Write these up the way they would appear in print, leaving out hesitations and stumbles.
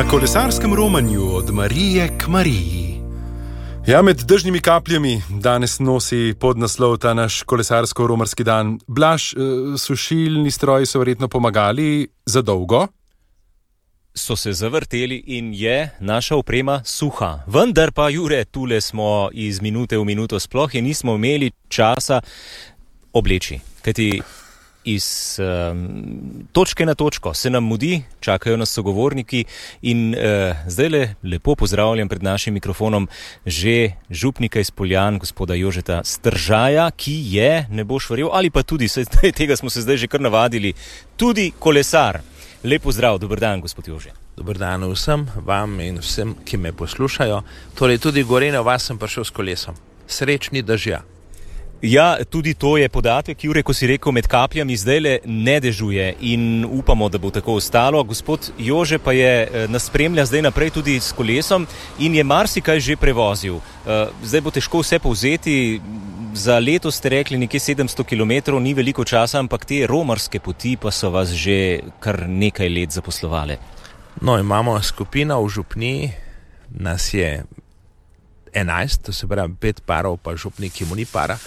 Na kolesarskem romanju od Marije k Mariji. Ja, med dežnimi kapljami danes nosi podnaslov ta naš kolesarsko-romarski dan. Blaž, sušilni stroji so verjetno pomagali za dolgo? So se zavrteli in je naša oprema suha. Vendar pa, Jure, tule smo iz minute v minuto, sploh je nismo imeli časa obleči. Kajti iz točke na točko se nam mudi, čakajo nas sogovorniki in zdajle lepo pozdravljam pred našim mikrofonom že župnika iz Poljan, gospoda Jožeta Stržaja, ki je, ne boš verjel, ali pa tudi, tega smo se zdaj že kar navadili, tudi kolesar. Lep pozdrav, dober dan, gospod Jože. Dober dan vsem, vam in vsem, ki me poslušajo. Torej tudi Gorenjo vas sem prišel s kolesom. Srečni dežja. Ja, tudi to je podatek, Jure, ko si rekel, med kapljami zdajle ne dežuje in upamo, da bo tako ostalo. Gospod Jože pa je nas spremlja zdaj naprej tudi s kolesom in je marsikaj že prevozil. Zdaj bo težko vse povzeti. Za leto ste rekli nekje 700 km, ni veliko časa, ampak te romarske poti pa so vas že kar nekaj let zaposlovale. No, imamo skupino v župniji, nas je 11, to se pravi 5 parov, pa župnik, ki mu ni para.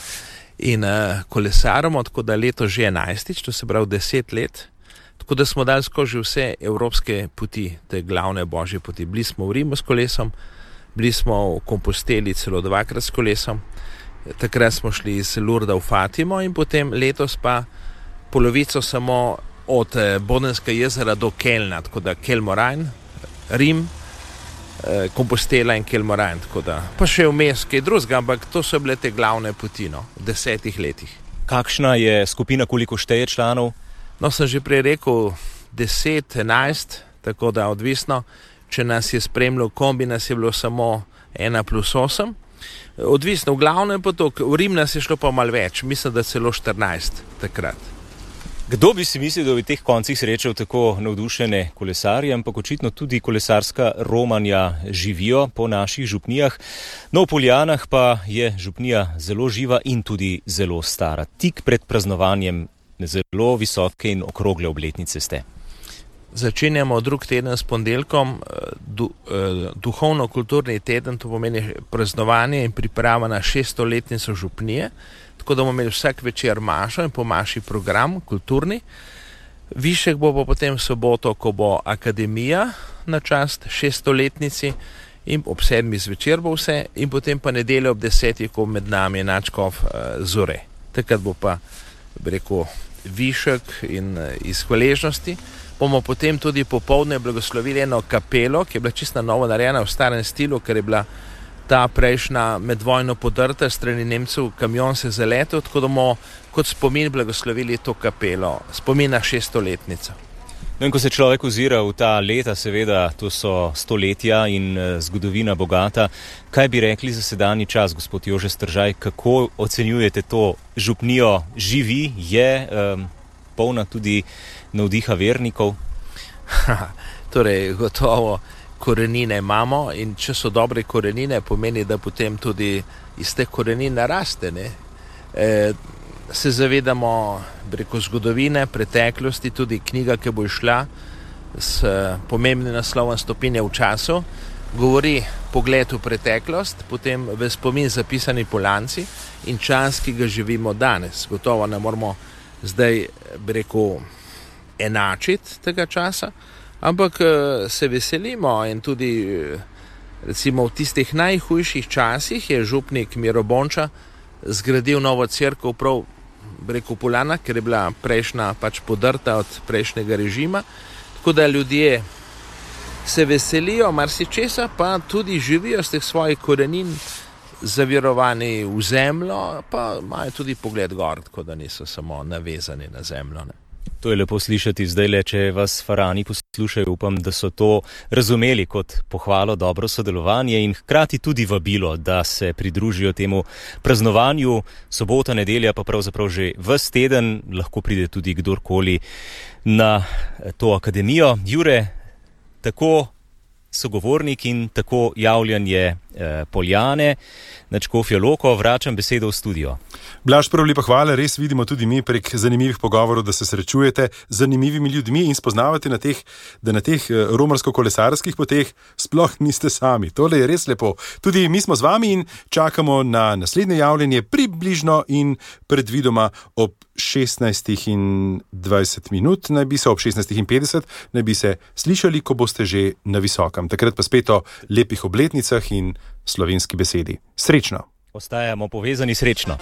In kolesaramo, tako da leto že 11, to se pravi 10 let. Tako da smo dali skozi vse evropske poti, te glavne božje poti. Bili smo v Rimu s kolesom, bili smo v Komposteli celo 2krat s kolesom. Takrat smo šli iz Lurda v Fatimo in potem letos pa polovico samo od Bodenskega jezera do Kelna, tako da Kelmoran, Rim, Kompostela in Kelmoran, tako da pa še vmes kaj drugega, ampak to so bile te glavne poti, v 10 letih. Kakšna je skupina, koliko šteje članov? No, sem že prej rekel 10, 11, tako da odvisno, če nas je spremljal kombi, nas je bilo samo 1+8. Odvisno, v glavnem pa to, v Rim nas je šlo pa malo več, mislim, da celo 14 takrat. Kdo bi si mislil, da bi v teh koncih srečal tako navdušene kolesarje, ampak očitno tudi kolesarska romanja živijo po naših župnijah. No, v Poljanah pa je župnija zelo živa in tudi zelo stara. Tik pred praznovanjem zelo visoke in okrogle obletnice ste. Začenjamo drug teden s ponedeljkom, duhovno-kulturni teden, to pomeni praznovanje in priprava na 600-letnico župnije, tako da bomo imeli vsak večer mašo in po maši program kulturni. Višek bo pa potem soboto, ko bo akademija na čast 600-letnici in ob 7 zvečer bo vse in potem pa nedeljo ob 10, ko med nami je nadškof Zore. Takrat bo pa, bi rekel, višek in iz hvaležnosti. Bomo potem tudi popoldne blagoslovili eno kapelo, ki je bila čisto novo narejena v starem stilu, ker je bila ta prejšnja med vojno podrta strani Nemcev, kamion se zaletel, tako da bomo kot spomin blagoslovili to kapelo, spomin na 600-letnico. No, in ko se človek ozira v ta leta, seveda, to so stoletja in zgodovina bogata, kaj bi rekli za sedanji čas, gospod Jože Stržaj, kako ocenjujete to župnijo? Živi, je polna tudi navdiha vernikov? Torej, gotovo korenine imamo in če so dobre korenine, pomeni, da potem tudi iz teh korenin naraste. Se zavedamo, preko zgodovine, preteklosti, tudi knjiga, ki bo išla s pomembnim naslovom Stopinje v času, govori pogled v preteklost, potem v spomin zapisani Poljanci in čas, ki ga živimo danes. Gotovo ne moramo zdaj, bi rekel, enačiti tega časa, ampak se veselimo in tudi recimo v tistih najhujših časih je župnik Miro Bonča zgradil novo cerkev prav, bi rekel, Poljana, ker je bila prejšnja pač podrta od prejšnjega režima, tako da ljudje se veselijo marsičesa, pa tudi živijo z teh svojih korenin zavirovani v zemljo, pa imajo tudi pogled gor, tako da niso samo navezani na zemljo. To je lepo slišati zdajle, če vas farani poslušajo, upam, da so to razumeli kot pohvalo, dobro sodelovanje in hkrati tudi vabilo, da se pridružijo temu praznovanju. Sobota, nedelja pa pravzaprav že ves teden, lahko pride tudi kdorkoli na to akademijo. Jure, tako sogovornik in tako javljanje Poljane na Škofjo Loko, vračam besedo v studio. Blaž, prav lepa hvala, res vidimo tudi mi prek zanimivih pogovorov, da se srečujete z zanimivimi ljudmi in spoznavate da na teh romarsko-kolesarskih poteh sploh niste sami. Tole je res lepo. Tudi mi smo z vami in čakamo na naslednje javljanje približno in predvidoma ob 16:20, naj bi se ob 16:50 naj bi se slišali, ko boste že na visokem. Takrat pa spet o lepih obletnicah in slovenski besedi. Srečno! Ostajamo povezani, srečno!